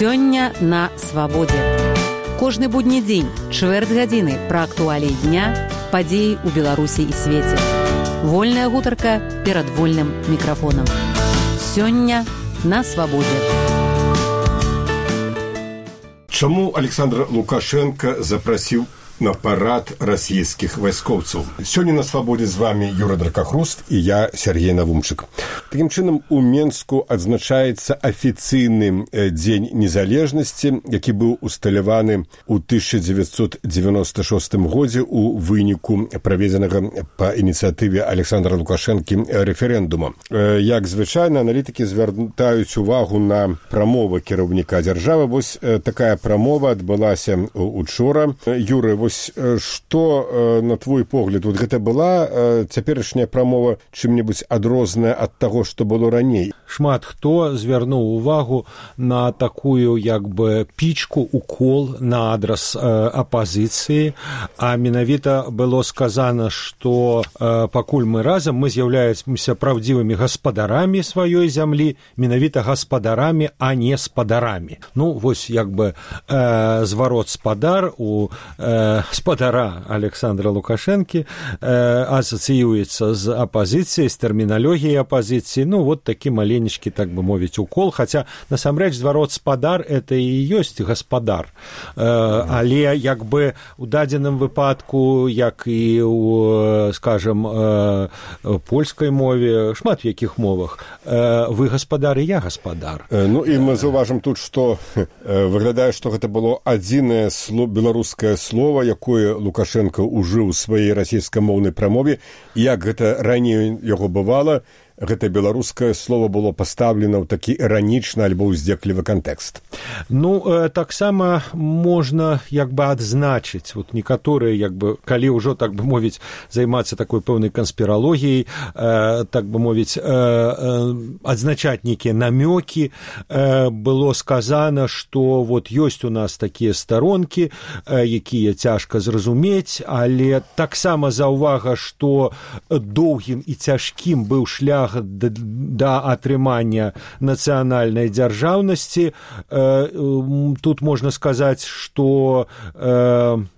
Сёння на свабодзе. Кожны будні дзень, чвэрць гадзіны пра актуаліі дня, падзеі ў Беларусі і свеце. Вольная гутарка перад вольным мікрафонам. Сёння на свабодзе. Чаму Александр Лукашенко запрасіў на парад расійскіх вайскоўцаў? Сёння на свабодзе з вами Юра Дракахруст і я, Сергей Навумчык. Такім чынам, у Менску адзначаецца афіцыйны дзень незалежнасці, які быў усталяваны ў 1996 годзе у выніку праведзенага па ініцыятыве Александра Лукашэнкі рэферэндума. Як звычайна, аналітыкі звяртаюць увагу на прамову кіраўніка дзяржавы. Вось такая прамова адбылася учора. Юры, вось што, на твой погляд, вот гэта была цяперашняя прамова чым-небудзь адрозная ад таго, што было раней? Шмат хто звярнуў увагу на такую як бы пічку, укол на адрас апазіцыі, а менавіта было сказана, што пакуль мы разам, мы з'яўляемся праўдзівымі гаспадарамі сваёй зямлі, менавіта гаспадарамі, а не спадарамі. Ну, вось як бы зварот спадар у спадара Александра Лукашэнкі асацыюецца з апазіцыяй, з тэрміналогіяй апазіцыі. Ну, вот такі маленечкі, так бы мовіць, укол. Хаця, насамрэч, зварот спадар – это і ёсць гаспадар. Але, як бы, у дадзеным выпадку, як і у, скажем, польскай мове, шмат в якіх мовах, вы гаспадар і я гаспадар. Ну, і мы заўважым тут, што выглядае, што гэта было адзінае беларускае слова, якое Лукашенко ўжыў у сваёй расійскамоўнай прамове. Як гэта раней яго бывала, гэта беларускае слово было пастаўлена ў такі іранічны альбо ўздзеклівы кантэкст. Ну, таксама можна як бы адзначыць, вот некаторыя, як бы, калі ўжо, так бы мовіць, займацца такой пэўнай канспіралогіяй, так бы мовіць, адзначаць нейкія намёкі, было сказана, што вот ёсць у нас такія старонкі, якія цяжка зразумець, але таксама заўвага, што доўгім і цяжкім быў шлях да атрымання нацыянальнай дзяржаўнасці. Тут можна сказаць, што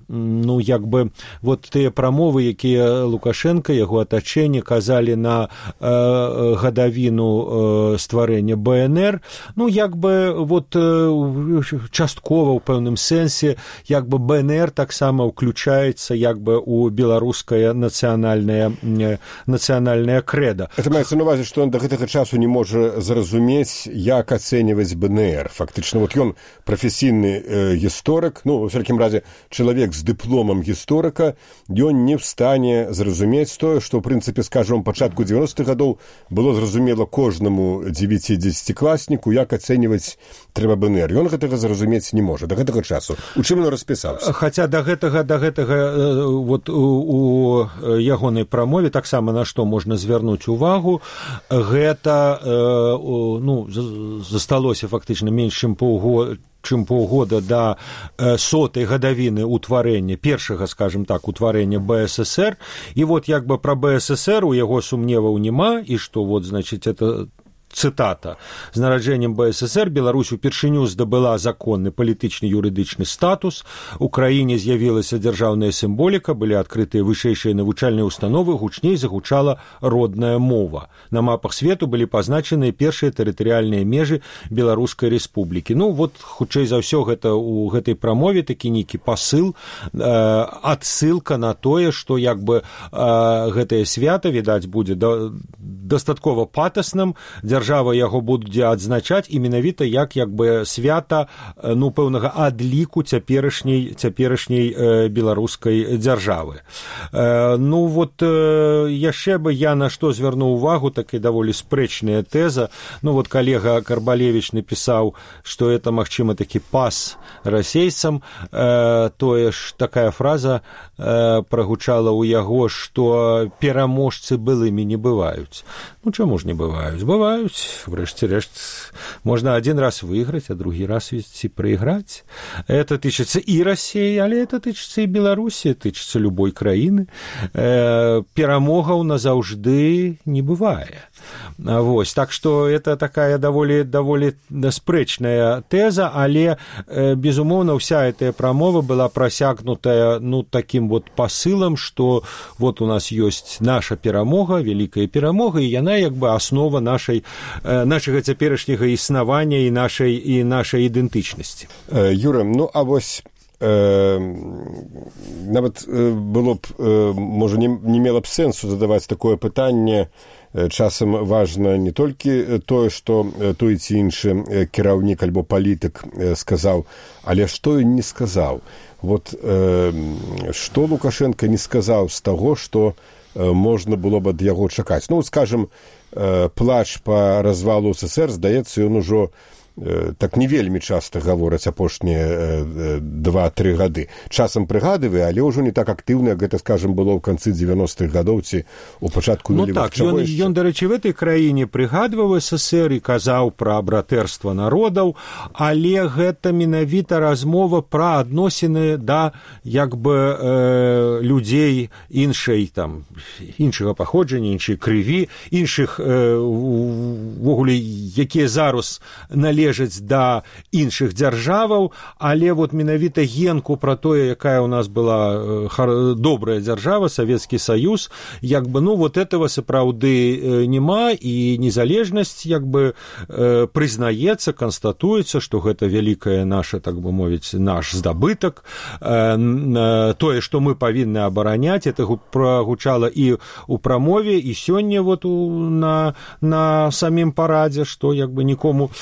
ну, як бы, вот тыя прамовы, якія Лукашенко, яго атачэнне казалі на гадавіну стварэння БНР, ну, як бы, вот часткова ў пэўным сэнсе, як бы БНР таксама ўключаецца, як бы, у беларускае нацыянальнае крэда. Это маецца на увазе, што ён да гэтага часу не можа зразумець, як ацэньваць БНР. Фактычна, вот ён прафесійны гісторык, ну, у всякім разе, чалавек з дыпломам гісторыка, ён не в стане зразумець тое, што, ў прынцыпе, скажам, пачатку 90-х гадоў было зразумела кожнаму 9-10-класніку, як ацэньваць трэба БНР. Ён гэтага зразумець не можа да гэтага часу. У чым ён распісаўся? Хаця да гэтага вот у ягонай прамове таксама на што можна звярнуць увагу, гэта ну, засталося фактычна менш чым паўгода да 100-й гадавіны ўтварэння, першага, скажем так, утварэння БССР. І вот як бы пра БССР у яго сумневаў няма, і што вот, значыць, это цытата. З нараджэннем БССР Беларусь упершыню здабыла законны палітычны юрыдычны статус, у краіне з'явілася дзяржаўная сімволіка, былі адкрытыя вышэйшыя навучальныя установы, гучней загучала родная мова. На мапах свету былі пазначаныя першыя тэрытарыяльныя межы Беларускай рэспублікі. Ну, вот, хутчэй за ўсё, гэта у гэтай прамове такі нейкі пасыл, адсылка на тое, што як бы гэтае свята, відаць, будзе дастаткова патасным, дзяржава яго будзе адзначаць і менавіта як бы свята, ну, пэўнага адліку цяперашняй беларускай дзяржавы. Ну, вот яшчэ бы я на што звярнуў увагу, такая даволі спрэчная тэза. Ну, вот калега Карбалевіч напісаў, што это, магчыма, такі пас расейцам. Тое ж такая фраза прагучала ў яго, што пераможцы былымі не бываюць. Ну, чаму ж не бываюць? Бываюць. могуць врэшце рэшт можна один раз выиграть, а другі раз ведь и проиграть. Это тычыцца и России, але это тычыцца и Беларуси, тычыцца любой краіны. Перамогаў назаўжды не бывае. Вось, так что это такая даволі спрэчная тэза, але безумоўна вся эта прамова была просякнутая таким вот посылам, что вот у нас есть наша перамога, великая перамога, и яна як бы основа нашага цяперашняга існавання і нашай ідэнтычнасці. Юра, а вось нават было б, можа, не мела б сэнсу задаваць такое пытанне. Часам важна не толькі тое, што той ці іншы кіраўнік альбо палітык сказаў, але што ён не сказаў. Вот што Лукашенко не сказаў з таго, што можна было б ад яго чакаць. Скажем, плач па развалу СССР, здаецца, ён ужо так не вельмі часта гавораць апошнія 2-3 гады. Часам прыгадывае, але ўжо не так актыўна, гэта, скажем, было ў канцы 90-х гадоў ці ў пачатку нулевых. Ён, дарэчы, в этой краіне прыгадваў СССР і казаў пра братэрства народаў, але гэта менавіта размова пра адносіны да як бы людзей іншага паходжання, іншай крыві, іншых ввогуле, якія зараз належаць да іншых дзяржаваў, але вот менавіта генку пра тое, якая у нас была добрая дзяржава, Савецкі Саюз, як бы, вот этого сапраўды няма, і незалежнасць як бы прызнаецца, канстатуецца, што гэта вялікая наша, так бы мовіць, наш здабытак, тое, што мы павінны абараняць, это прагучала і ў прамове, і сёння вот на самім парадзе, што як бы нікому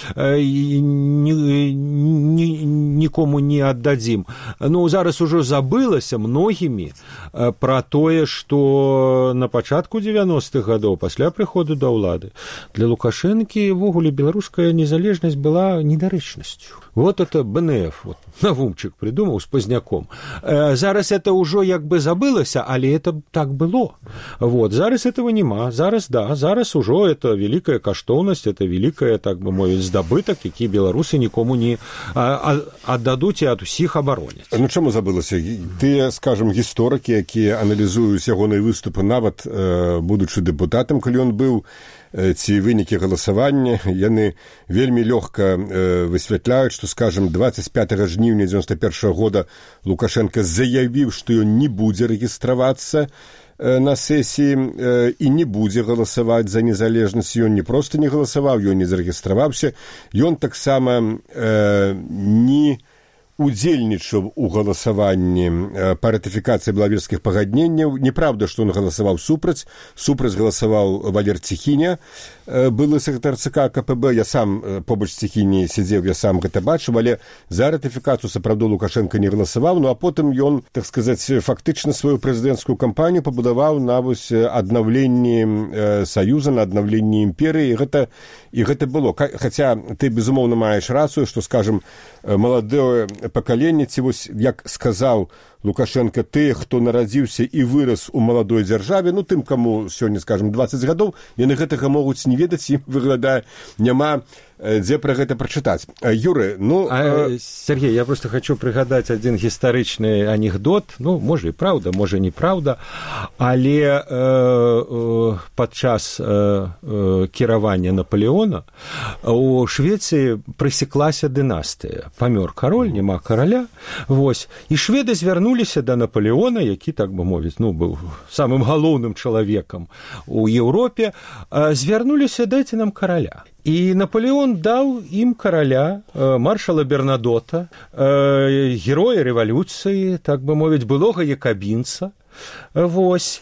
не аддадзім. Зараз ужо забылася многімі пра тое, што на пачатку 90-х гадоў, пасля прыходу да ўлады, для Лукашэнкі ввогуле беларуская незалежнасць была недарэчнасцю. Вот это БНФ, вот, Навумчык придумал с Поздняком. Зараз это уже як бы забылося, але это так было. Вот, зараз этого нема, зараз уже это великая каштоўнасць, это великая, так бы мовіць, здабытак, які беларусы нікому не аддадуць і ад усіх абароняць. Чаму забылася? Тыя, скажем, гісторыкі, якія аналізуюць ягоныя выступы, нават будучы дэпутатам, калі ён быў, ці вынікі галасавання, яны вельмі лёгка высвятляюць, што, скажем, 25 жніўня 91 года Лукашенко заявіў, што ён не будзе рэгістравацца на сесіі і не будзе галасаваць за незалежнасць. Ён не проста не галасаваў, ён не зарэгістраваўся, ён таксама не удзельнічаў у галасаванні па ратыфікацыі белавежскіх пагадненняў. Неправда, што ён галасаваў супраць галасаваў Валер Ціхіня, былы сакратар ЦК КПБ. Я сам побач з Ціхіні сядзеў, я сам гэта бачыў, але за ратыфікацыю сапраўды Лукашенко не галасаваў, а потым ён, так сказаць, фактычна сваю прэзідэнцкую кампанію пабудаваў на аднаўленні Саюза, на аднаўленні імперыі, і гэта было. Хаця ты, безумоўна, маеш рацыю, што, скажем, маладое пакаленне, ці вось, як сказаў Лукашенко, тыя, хто нарадзіўся і вырас у маладой дзяржаве, тым, каму сёння, скажем, 20 гадоў, яны гэтага могуць не ведаць, і, выглядае, няма дзе пра гэта прачытаць. Юры, Сергей, я просто хочу прыгадаць адзін гістарычны анекдот, можа і праўда, можа не праўда, але падчас кіравання Наполеона у Швецыі прысеклася дынастыя. Памёр кароль, няма караля, вось, і шведы звярнуліся да Наполеона, які, так бы мовіць, быў самым галоўным чалавекам у Еўропе, звярнуліся: дайце нам караля. І Наполеон даў ім караля, маршала Бернадота, героя рэвалюцыі, так бы мовіць, былога якабінца. Вось.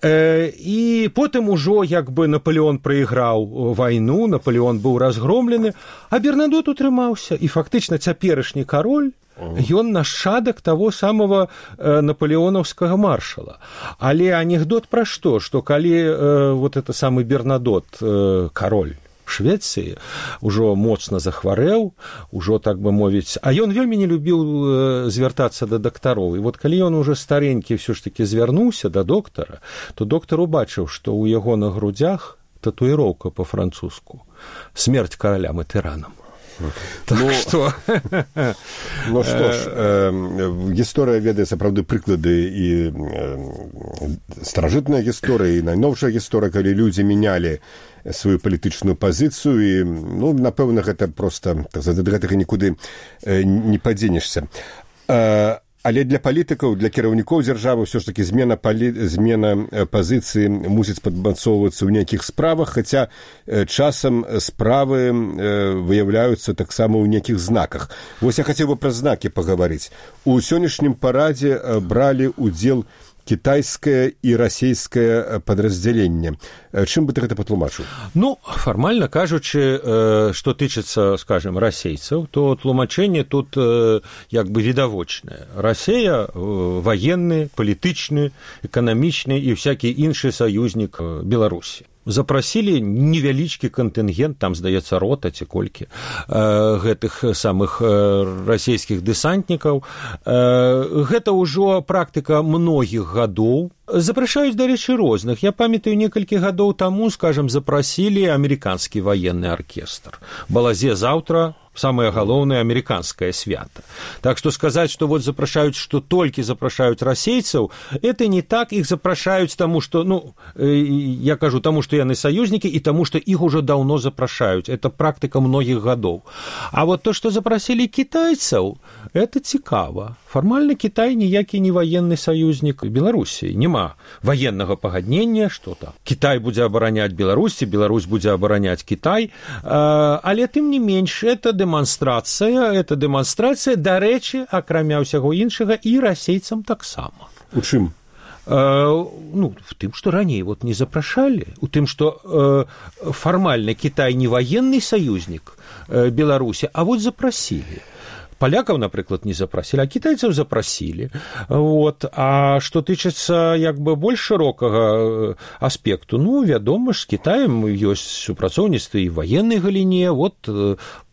І потым ужо, як бы, Наполеон прайграў вайну, Наполеон быў разгромлены, а Бернадот утрымаўся. І фактычна цяперашні кароль, ён нашчадак таго самого наполеонаўскага маршала. Але анекдот пра што? Што калі вот это самы Бернадот, кароль Швецыі, ужо моцна захварэў, ужо, так бы мовіць, а ён вельмі не любіў звяртацца да дактароў. І вот калі ён уже старенькі ўсё ж такі звярнуўся да доктара, то доктар убачыў, што ў яго на грудзях татуіроўка па-французску «Смерть каралям і тыранам». Так што... Ну што ж, гісторыя ведае сапраўды прыклады і старажытная гісторыя, і найноўшая гісторыя, калі людзі мянялі сваю палітычную пазіцыю, і, ну, напэўна, гэта проста, так сказаць, ад гэтага нікуды не падзенешся. Але для палітыкаў, для кіраўнікоў дзяржавы ўсё ж такі змена пазіцыі мусіць падмацоўвацца ў нейкіх справах, хаця часам справы выяўляюцца таксама ў нейкіх знаках. Вось я хацеў бы пра знакі пагаварыць. У сённяшнім парадзе бралі ўдзел кітайскае і расійскае падраздзяленне. Чым бы ты гэта патлумачыў? Ну, фармальна кажучы, што тычыцца, скажем, расейцаў, то тлумачэнне тут як бы відавочнае. Расія ваенны, палітычны, эканамічны і всякі іншы саюзнік Беларусі. Запрасілі невялічкі кантынгент, там, здаецца, рота ці колькі гэтых самых расійскіх дэсантнікаў. Гэта ўжо практыка многіх гадоў. Запрашаюць, дарэчы, розных. Я памятаю, некалькі гадоў таму, скажем, запрасілі амерыканскі ваенны аркестр. Балазе заўтра самае галоўнае амерыканскае свята. Так што сказаць, што вот запрашаюць, што толькі запрашаюць расейцаў, это не так, іх запрашаюць таму, што, ну, я кажу, таму, што яны саюзнікі, і таму, што іх ужо даўно запрашаюць. Это практыка многіх гадоў. А вот то, што запрасілі кітайцаў, это цікава. Фармальна Кітай ніякі не ваенны саюзнік Беларусі. Няма ваеннага пагаднення, што там. Кітай будзе абараняць Беларусь, Беларусь будзе абараняць Кітай, але тым не менш, это дэманстрацыя, дарэчы, акрамя ўсяго іншага, і расейцам таксама. У чым? Ну, в тым, што раней вот не запрашалі, у тым, што фармальна Кітай не ваенны саюзнік Беларусі, а вот запрасілі. Палякаў, напрыклад, не запрасілі, а кітайцаў запрасілі. Вот. А што тычыцца як бы больш шырокага аспекту, ну, вядома ж, з Кітаем ёсць супрацоўніцтва і в ваеннай галіне, вот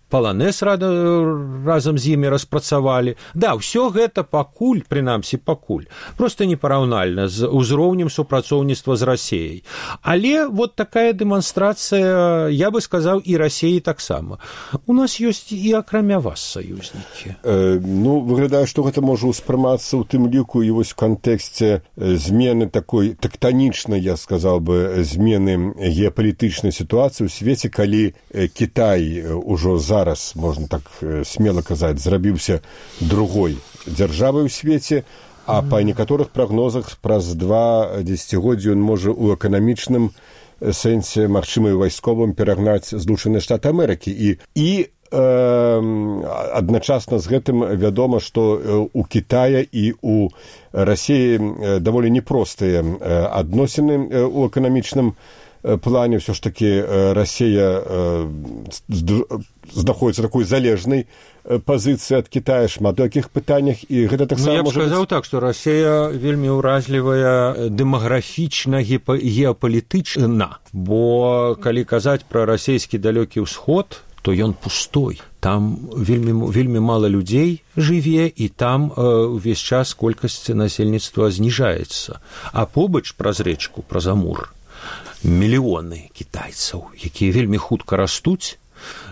Паланэс разам з імі распрацавалі. Да, ўсё гэта пакуль, прынамсі пакуль, проста непараўнальна з узроўнем супрацоўніцтва з Расеяй. Але вот такая дэманстрацыя, я бы сказаў, і Расеі таксама. У нас ёсць і акрамя вас саюзнікі. Ну, выглядае, што гэта можа ўспрымацца ў тым ліку і вось в кантэксце змены такой тэктанічнай, я сказаў бы, змены геапалітычнай сітуацыі ў свеце, калі Кітай ужо зараз, можна так смела казаць, зрабіўся другой дзяржавай у свеце, а па некаторых прагнозах праз 2 дзесяцігоддзі ён можа ў эканамічным сэнсе, магчыма, і вайсковым перагнаць Злучаныя Штаты Амерыкі. І адначасна з гэтым вядома, што у Кітая і у Расіі даволі непростыя адносіны ў эканамічным плане. Все ж таки Россия знаходится в такой залежной позиции от Китая, шмат таких пытаниях, и гэта так само. Я б сказаў так, что Россия вельмі ўразлівая дэмаграфічна, геапалітычна, бо калі казаць пра расійскі далёкі ўсход, то ён пустой. Там вельмі мала людзей жыве, і там увесь час колькасць насельніцтва зніжаецца. А побач праз рэчку, праз Амур, мільёны кітайцаў, якія вельмі хутка растуць,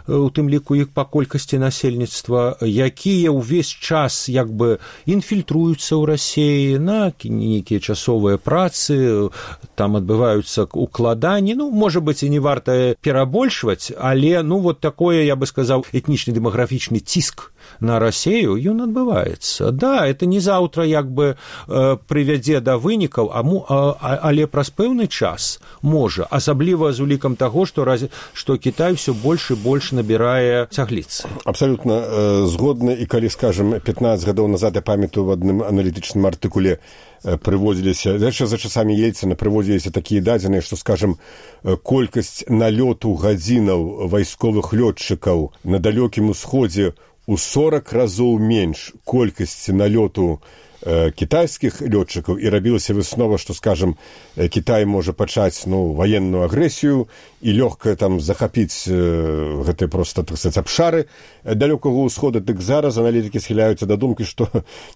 у тым ліку іх па колькасці насельніцтва, якія ўвесь час як бы інфільтруюцца ў Расіі на нейкія часовыя працы, там адбываюцца укладанні, ну, можа быць, і не варта перабольшваць, але, ну, вот такое, я бы сказаў, этнічны дэмаграфічны ціск на Расію, ён адбываецца. Да, это не заўтра як бы прывядзе да вынікаў, але праз пэўны час можа, асабліва з улікам таго, што Кітай ўсё больш і больш набірае цягліцы. Абсалютна згодны, і калі, скажем, 15 гадоў назад, я памятаю, в адным аналітычным артыкуле прыводзіліся, за часамі Ельцына прыводзіліся такія дадзеныя, што, скажем, колькасць налёту гадзінаў вайсковых лётчыкаў на далёкім усходзе у 40 разоў менш колькасці налёту кітайскіх лётчыкаў, і рабілася выснова, што, скажам, Кітай можа пачаць ваенную агрэсію і лёгка там захапіць гэтыя проста, так сказаць, абшары далёкага ўсхода. Дык зараз аналітыкі схіляюцца да думкі, што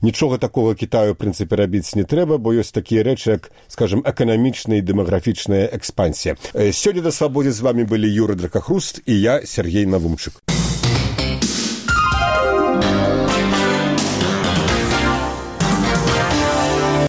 нічога такога Кітаю, в прынцыпе, рабіць не трэба, бо ёсць такія рэчы, як, скажам, эканамічная і дэмаграфічная экспансія. Сёння на Свабодзе з вамі былі Юрый Дракахруст і я, Сергей Навумчык.